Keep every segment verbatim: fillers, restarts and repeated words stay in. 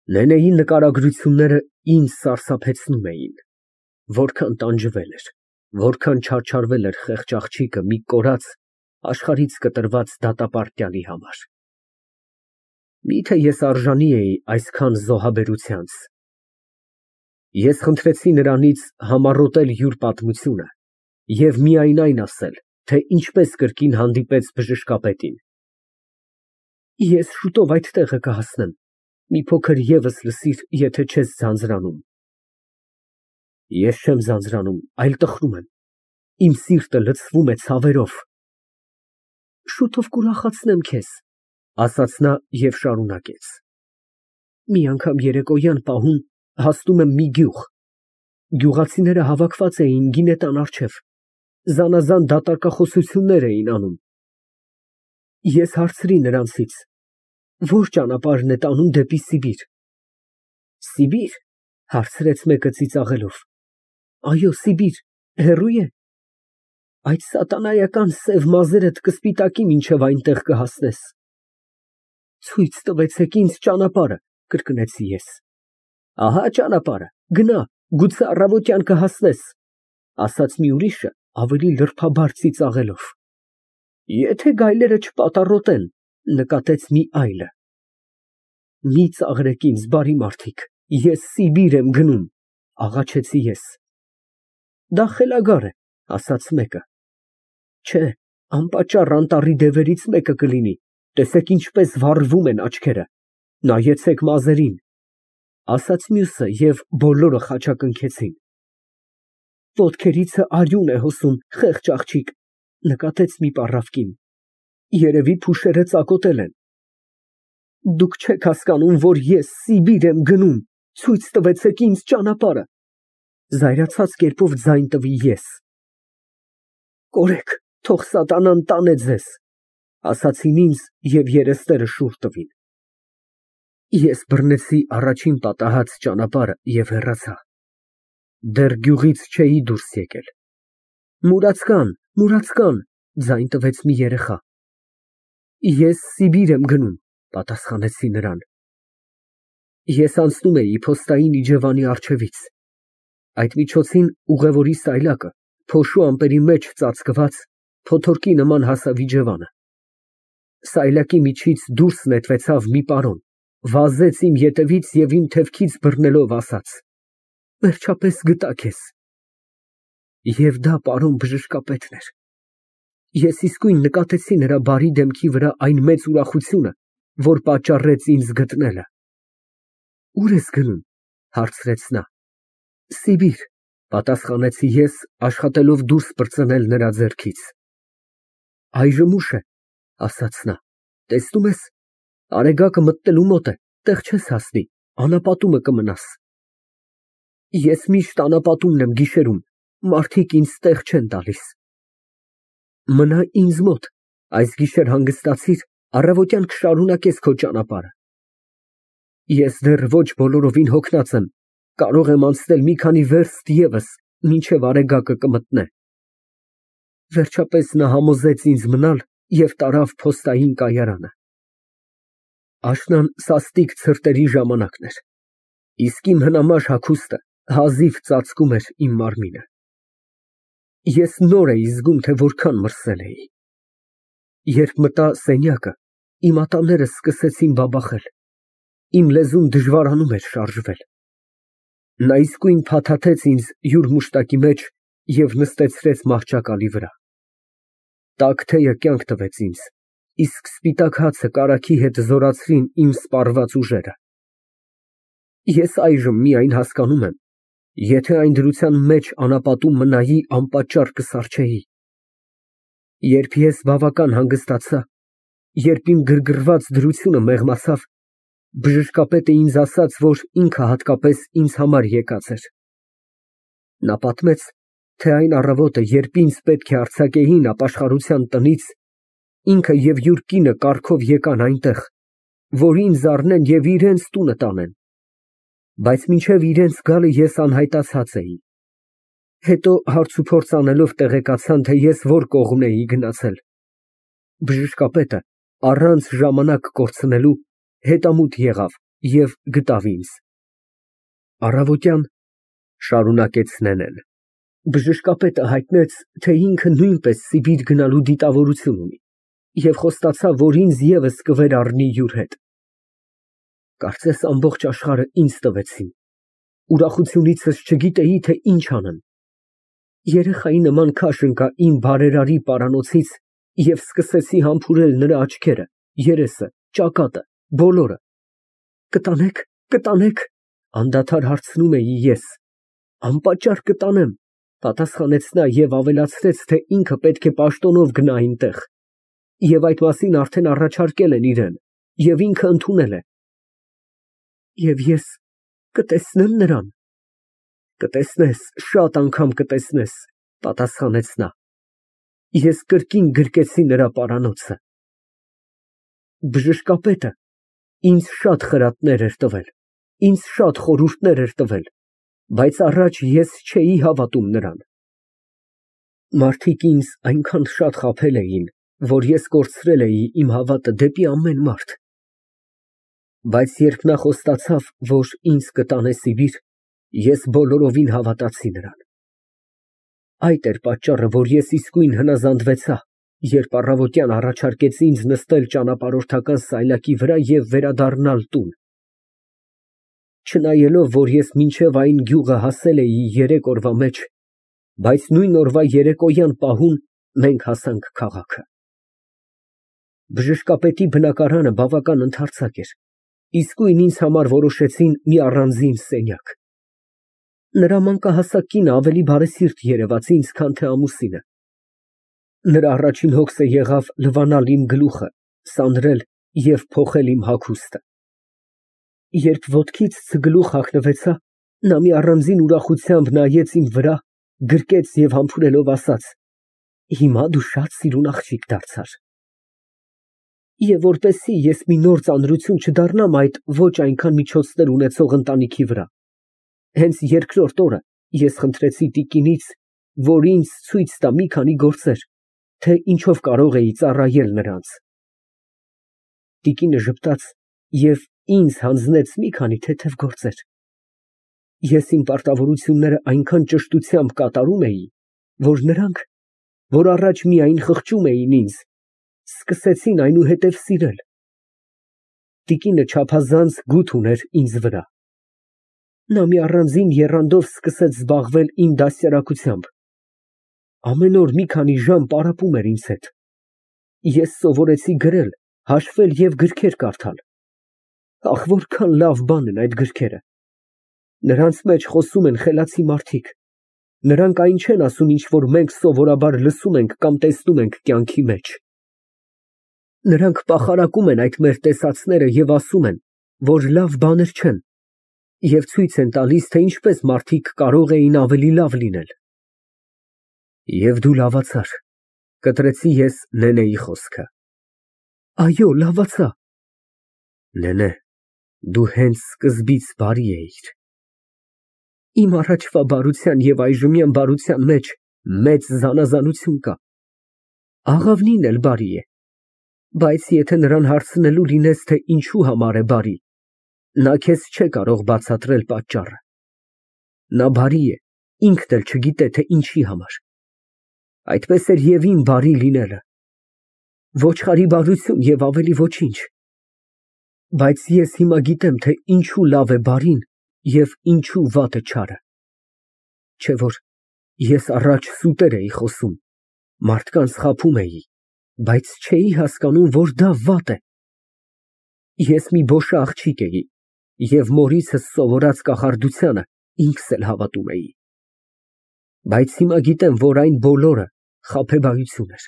Նենեի նկարագրությունները ինձ սարսափեցնում էին, որքան տանջվել էր, որքան չարչարվել էր խեղճ աղջիկը մի կորած, աշխարհից կտրված դատապարտյալի համար։ Միթե ես արժանի էի այսքան զոհաբերությանց։ Ես խնդրեցի նրանից համառոտել յուր պատմությունը և միայն այն ասել, թե ինչպես կրկին հանդիպեց բժշկապետին։ Ես շուտով այդ տեղը կհասնեմ, մի փոքր ևս լսիր, եթե չես ձանձրանում։ Ես չեմ ձանձրանում, այլ տխրում եմ, իմ սիրտը լցվում է ցավերով։ Շուտով կուրախացնեմ քեզ, ասաց նա և շարունակեց. Մի անգամ երեկոյան պահուն հասնում եմ մի գյուղ, գյուղացիները հավաքված էին գինետան առջև, զանազան դատարկախոսություններ էին անում։ Ես հարցրի նրանցից. Ո՞ր ճանապարհն է տանում դեպի Սիբիր։ Սիբիր, հարցրեց մեկը ծիծաղելով։ Այո, Սիբիր, հեռո՞ւ է։ Այդ սատանայական սև մազերդ կսպիտակի մինչև այնտեղ կհասնես։ Ցույց տվեցեք ինձ ճանապարհը, կրկնեցի ես։ Ահա ճանապարհը, գնա, գուցե առավոտյան կհասնես, ասաց մի ուրիշը ավելի լրբաբար ծիծաղելով։ Եթե գայլերը չպատառոտեն, նկատեց մի այլը։ Մի ծաղրեք ինձ, բարի մարդիկ, ես Սիբիր եմ գնում, աղաչեցի ես։ Դա խելագար է, ասաց մեկը։ Չէ, անպատճառ անտառի դևերից մեկը կլինի, տեսեք ինչպես վառվում են աչքերը, նայեցեք մազերին, ասաց մյուսը և բոլորը խաչակնքեցին։ Ոտքերիցը արյուն է հոսում, խեղճ աղջիկ, նկատեց մի պառավ կին, երևի փուշերը ծակոտել են։ Դուք չեք հասկանում, որ ես Սիբիր եմ գնում, ցույց տվեցեք ինձ ճանապարհը, զայրացած կերպով ձայն տվի ես։ Կորեք, թող սատանան տանե ձեզ, ասացին ինձ և երեսները շուռ տվին։ Ես բռնեցի առաջին պատահած ճանապարհը և հեռացա։ Դեռ գյուղից չէի դուրս եկել։ Մուրացկան, մուրացկան, ձայն տվեց մի երեխա։ Ես Սիբիր եմ գնում, պատասխանեցի նրան։ Ես անցնում էի փոստային իջևանի առջևից։ Այդ միջոցին ուղևորի սայլակը, փոշու ամպերի մեջ ծածկված, փոթորկի նման հասավ իջևանը։ Սայլակի միջից դուրս նետվեցավ մի պարոն, վազեց իմ ետևից և իմ թևքից բռնելով ասաց. Վերջապես գտա քեզ։ Եվ դա պարոն բժշկապետն էր։ Ես իսկույն նկատեցի նրա բարի դեմքի վրա այն մեծ ուրախությունը, որ պատճառեց ինձ գտնելը։ Ո՞ւր ես գնում, հարցրեց նա։ Սիբիր, պատասխանեցի ես, աշխատելով դուրս պրծնել նրա ձեռքից։ Այժմ ուշ է, ասաց նա, տեսնում ես, արեգակը մտնելու մոտ է, տեղ չես հասնի, անապատումը կմնաս։ Ես միշտ անապատումն եմ գիշերում, մարդիկ ինձ տեղ չեն տալիս։ Մնա ինձ մոտ, այս գիշեր հանգստացիր, առավոտյան կշարունակես քո ճանապարհը։ Ես դեռ ոչ բոլորովին հոգնած եմ, կարող եմ անցնել մի քանի վերստ ևս, մինչև արեգակը կմտնե։ Վերջապես նա համոզեց ինձ մնալ և տարավ փոստային կայարանը։ Աշնան սաստիկ ցրտերի ժամանակն էր, իսկ իմ հնամաշ հագուստը հազիվ ծածկում էր իմ մարմինը։ Ես նոր էի զգում, թե որքան մրսել էի։ Երբ մտա սենյակը, իմ ատամներս սկսեցին բաբախել, իմ լեզուն դժվարանում էր շարժվել։ Նա իսկույն փաթաթեց ինձ յուր մուշտակի մեջ և նստեցրեց մահճակալի վրա։ Տաք թեյը կյանք տվեց ինձ, իսկ սպիտակ հացը կարագի հետ զորացրին իմ սպառված ուժերը։ Ես այժմ միայն հասկանում եմ, եթե այն դրության մեջ անապատում մնայի, անպատճառ կսառչեի։ Երբ ես բավական հանգստացա, երբ իմ գրգռված դրությունը մեղմացավ, բժշկապետը ինձ ասաց, որ ինքը հատկապես ինձ համար եկած էր։ Նա պատմեց, թե այն առավոտը, երբ ինձ պետք է արձակեին ապաշխարության տնից, ինքը և յուր կինը կառքով եկան այնտեղ, որ ինձ առնեն և իրենց տունը տանեն, բայց մինչև իրենց գալը ես անհայտացած էի։ Հետո հարցուփորձ անելով տեղեկացան, թե ես որ կողմն էի գնացել։ Բժշկապետը, առանց ժամանակ կորցնելու, հետամուտ եղավ և գտավ ինձ։ Առավոտյան, շարունակեց Նենեն, բժշկապետը հայտնեց, թե ինքը նույնպես Սիբիր գնալու դիտավորություն ունի և խոստացավ, որ ինձ ևս կվերառնի յուր հետ։ Կարծես ամբողջ աշխարհը ինձ տվեցին, ուրախությունիցս չգիտեի, թե ինչ անեմ։ Երեխայի նման քաշ ընկա իմ բարերարի պարանոցից և սկսեցի համբուրել նրա աչքերը, երեսը, ճակատը, բոլորը։ Կտանե՞ք, կտանե՞ք, անդադար հարցնում էի ես։ Անպատճառ կտանեմ, պատասխանեց նա և ավելացրեց, թե ինքը պետք է պաշտոնով գնա այնտեղ, և այդ մասին արդեն առաջարկել են իրան, և ինքը ընդունել է։ Եվ ես կտեսնե՞մ նրան։ Կտեսնես, շատ անգամ կտեսնես, պատասխանեց նա։ Ես կրկին գրկեցի նրա պարանոցը։ Բժշկապետը ինձ շատ խրատներ էր տվել, ինձ շատ խորհուրդներ էր տվել, բայց առաջ ես չէի հավատում նրան։ Մարդիկ ինձ այնքան շատ խաբել էին, որ ես կորցրել էի իմ հավատը դեպի ամեն մարդ։ Բայց երբ նա խոստացավ, որ ինձ կտանե Սիբիր, ես բոլորովին հավատացի նրան։ Այդ էր պատճառը, որ ես իսկույն հնազանդվեցա, երբ առավոտյան առաջարկեց ինձ նստել ճանապարհորդական սայլակի վրա և վերադառնալ տուն։ Չնայելով, որ ես մինչև այն գյուղը հասել էի երեք օրվա մեջ, բայց նույն օրվա երեկոյան պահուն մենք հասանք քաղաքը։ Բժշկապետի բնակարանը բավական ընդարձակ էր, իսկույն ինձ համար որոշեցին մի առանձին սենյակ։ Նրա մանկահասակ կինը ավելի բարեսիրտ երևաց ինձ, քան թե ամուսինը։ Նրա առաջին հոգսը եղավ լվանալ իմ գլուխը, սանրել և փոխել իմ հագուստը։ Երբ ոտքից ցգլուխ հագնվեցա, նա մի առանձին ուրախությամբ նայեց իմ վրա, գրկեց և համբուրելով ասաց. «Հիմա դու շատ սիրուն աղջիկ դարձար»։ Եվ որպեսզի ես մի նոր ծանրություն չդառնամ այդ ոչ այնքան միջոցներ ունեցող ընտանիքի վրա, հենց երկրորդ օրը ես խնդրեցի տիկինից, որ ինձ ցույց տա մի քանի գործեր, թե ինչով կարող էի ծառայել նրանց։ Տիկինը ժպտաց և ինձ հանձնեց մի քանի թեթև գործեր։ Ես իմ պարտավորությունները այնքան ճշտությամբ կատարում էի, որ նրանք, որ առաջ միայն խղճում էին ինձ, սկսեցին այնուհետև սիրել։ Տիկինը չափազանց գութ ուներ ինձ վրա։ Նա մի առանձին եռանդով սկսեց զբաղվել իմ դաստիարակությամբ։ Ամեն օր մի քանի ժամ պարապում էր ինձ հետ։ Ես սովորեցի գրել, հաշվել և գրքեր կարդալ։ Ահ, որքան լավ բան են այդ գրքերը։ Նրանց մեջ խոսում են խելացի մարդիկ։ Նրանք այն չեն ասում, ինչ որ մենք սովորաբար լսում ենք կամ տեսնում ենք կյանքի մեջ։ Նրանք պախարակում են այդ մեր տեսածները և ասում են, որ լավ բաներ չեն, և ցույց են տալիս, թե ինչպես մարդիկ կարող էին ավելի լավ լինել։ Եվ դու լավացար, կտրեցի ես Նենեի խոսքը։ Այո, լավացա։ Նենե, դու հենց սկզբից բարի էիր։ Իմ առաջվա բարության և այժմյան բարության մեջ մեծ զանազանություն կա։ Աղավնին էլ բարի է, բայց եթե նրան հարցնելու լինես, թե ինչի համար է բարի, նա քեզ չէ կարող բացատրել պատճառը։ Նա բարի է, ինքն էլ չգիտե, թե ինչի համար։ Այդպես էր և իմ բարի լինելը։ Ոչխարի բարություն և ավելի ոչինչ։ Բայց ես հիմա գիտեմ, թե ինչու լավ է բարին և ինչու վատը չարը։ Չէ որ ես առաջ սուտեր էի խոսում, մարդկանց խաբում էի, բայց չէի հասկանում, որ դա վատ է։ Ես մի բոշա աղջիկ էի և մորիցս սովորած կախարդությանը ինքս էլ հավատում էի։ Բայց հիմա գիտեմ, որ այն բոլորը խաբեբայություն էր։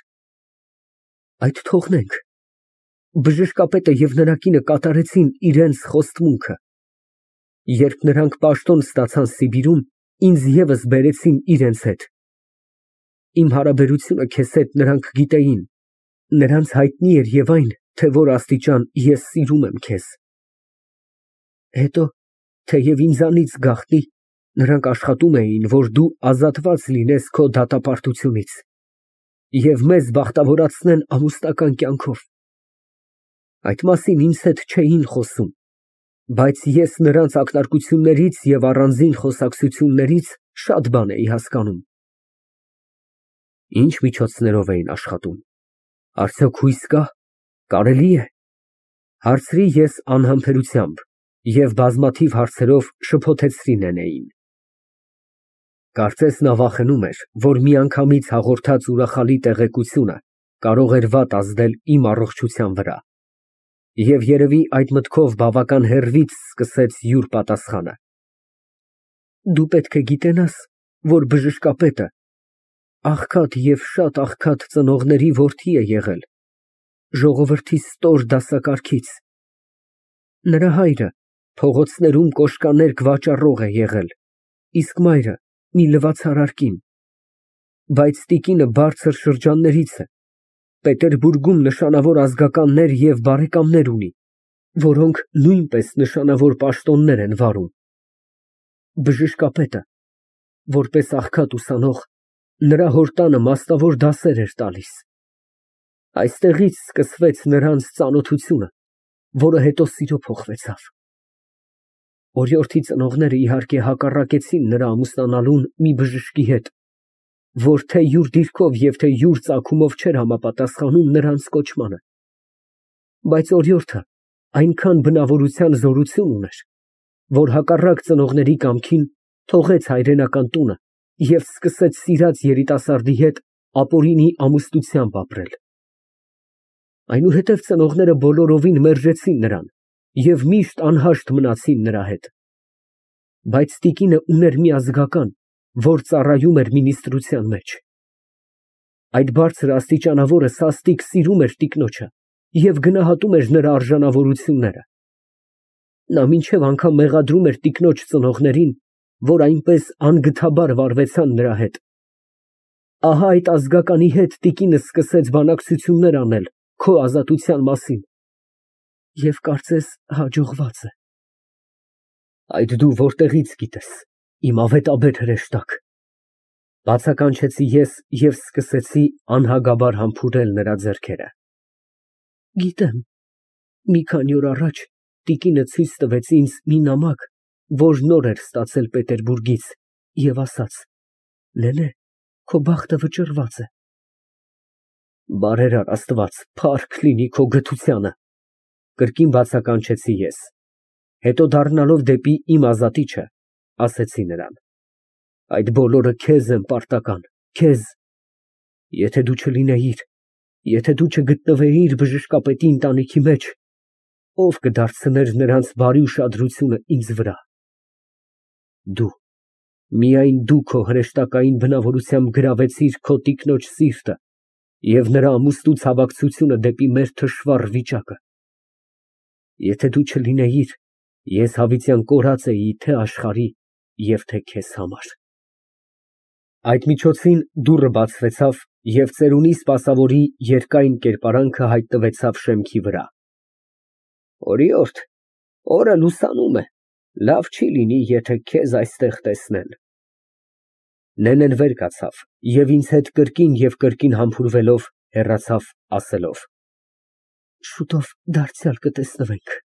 Այդ թողնենք։ Բժշկապետը և նրա կինը կատարեցին իրենց խոստմունքը։ Երբ նրանք պաշտոն ստացան Սիբիրում, ինձ ևս բերեցին իրենց հետ։ Իմ հարաբերությունը քեզ հետ նրանք գիտեին, նրանց հայտնի էր և այն, թե որ աստիճան ես սիրում եմ քեզ։ Հետո, թեև ինձանից գաղտնի, նրանք աշխատում էին, որ դու ազատված լինես քո դատապարտությունից և մեզ բախտավորացնեն ամուսնական կյանքով։ Այդ մասին ինձ հետ չէին խոսում, Բայց ես նրանց ակնարկություններից և առանձին խոսակցություններից շատ բան էի հասկանում։ Ինչ միջոցներով էին աշխատում, արդյոք հույս կա, կարելի է, հարցրի ես անհամբերությամբ և բազմաթիվ հարցերով շփոթեցրի նենեին։ Կարծես նա վախենում էր, որ միանգամից հաղորդած ուրախալի տեղեկությունը կարող էր վատ ազդել իմ առողջության վրա, և երևի այդ մտքով բավական հեռվից սկսեց յուր պատասխանը։ Դու պետք է գիտենաս, որ բժշկապետը աղքատ և շատ աղքատ ծնողների որդի է եղել, ժողովրդի ստոր դասակարգից։ Նրա հայրը փողոցներում կոշկաներկ վաճառող է եղել, իսկ մայրը մի լվացարար կին, բայց տիկինը բարձր շրջաններից է, Պետերբուրգում նշանավոր ազգականներ և բարեկամներ ունի, որոնք նույնպես նշանավոր պաշտոններ են վարում։ Բժշկապետը, որպես աղքատ ուսանող, նրա հոր տանը մասնավոր դասեր էր տալիս։ Այստեղից սկսվեց նրանց ծանոթությունը, որը հետո սիրո փոխվեցավ։ Օրիորդի ծնողները, իհարկե, հակառակեցին նրա ամուսնանալուն մի բժշկի հետ, որ թե յուր դիրքով և թե յուր ծագումով չէր համապատասխանում նրանց կոչմանը։ Բայց օրիորդը այնքան բնավորության զորություն ուներ, որ հակառակ ծնողների կամքին թողեց հայրենական տունը և սկսեց սիրած երիտասարդի հետ ապօրինի ամուսնությամբ ապրել։ Այնուհետև ծնողները բոլորովին մերժեցին նրան և միշտ անհաշտ մնացին նրա հետ։ Բայց տիկինը ուներ մի ազգական, որ ծառայում էր մինիստրության մեջ։ Այդ բարձր աստիճանավորը սաստիկ սիրում էր տիկնոջը և գնահատում էր նրա արժանավորությունները։ Նա մինչև անգամ մեղադրում էր տիկնոջ ծնողներին, որ այնպես անգթաբար վարվեցան նրա հետ։ Ահա այդ ազգականի հետ տիկինը սկսեց բանակցություններ անել քո ազատության մասին, և կարծես հաջողված է։ Այդ դու որտեղի՞ց գիտես, իմ ավետաբեր հրեշտակ, բացականչեցի ես և սկսեցի անհագաբար համբուրել նրա ձեռքերը։ Գիտեմ, մի քանի օր առաջ տիկինը ցույց տվեց ինձ մի նամակ, որ նոր էր ստացել Պետերբուրգից, և ասաց. «Նենե, քո բախտը վճռված է»։ Բարերար Աստված, փառք լինի քո գթությանը, կրկին բացականչեցի ես, հետո դառնալով դեպի իմ ազատիչը, ասեցի նրան. այդ բոլորը քեզ եմ պարտական, քեզ։ Եթե դու չլինեիր, եթե դու չգտնվեիր բժշկապետի ընտանիքի մեջ, ո՞վ կդարձներ նրանց բարի ուշադրությունը ինձ վրա։ Դու, միայն դու քո հրեշտակային բնավորությամբ գրավեցիր քո տիկնոջ սիրտը և նրա ամուսնու ցավակցությունը դեպի մեր թշվառ վիճակը։ Եթե դու չլինեիր, ես հավիտյան կորած էի թե աշխարհի և թե քեզ համար։ Այդ միջոցին դուռը բացվեցավ, և ծերունի սպասավորի երկայն կերպարանքը հայտնվեցավ շեմքի վրա։ Օրիորդ, օրը լուսանում է, լավ չի լինի, եթե քեզ այստեղ տեսնեն։ Նենեն վեր կացավ և ինձ հետ կրկին և կրկին համբուրվելով հեռացավ, ասելով. Շուտով դարձյալ կտեսնվենք։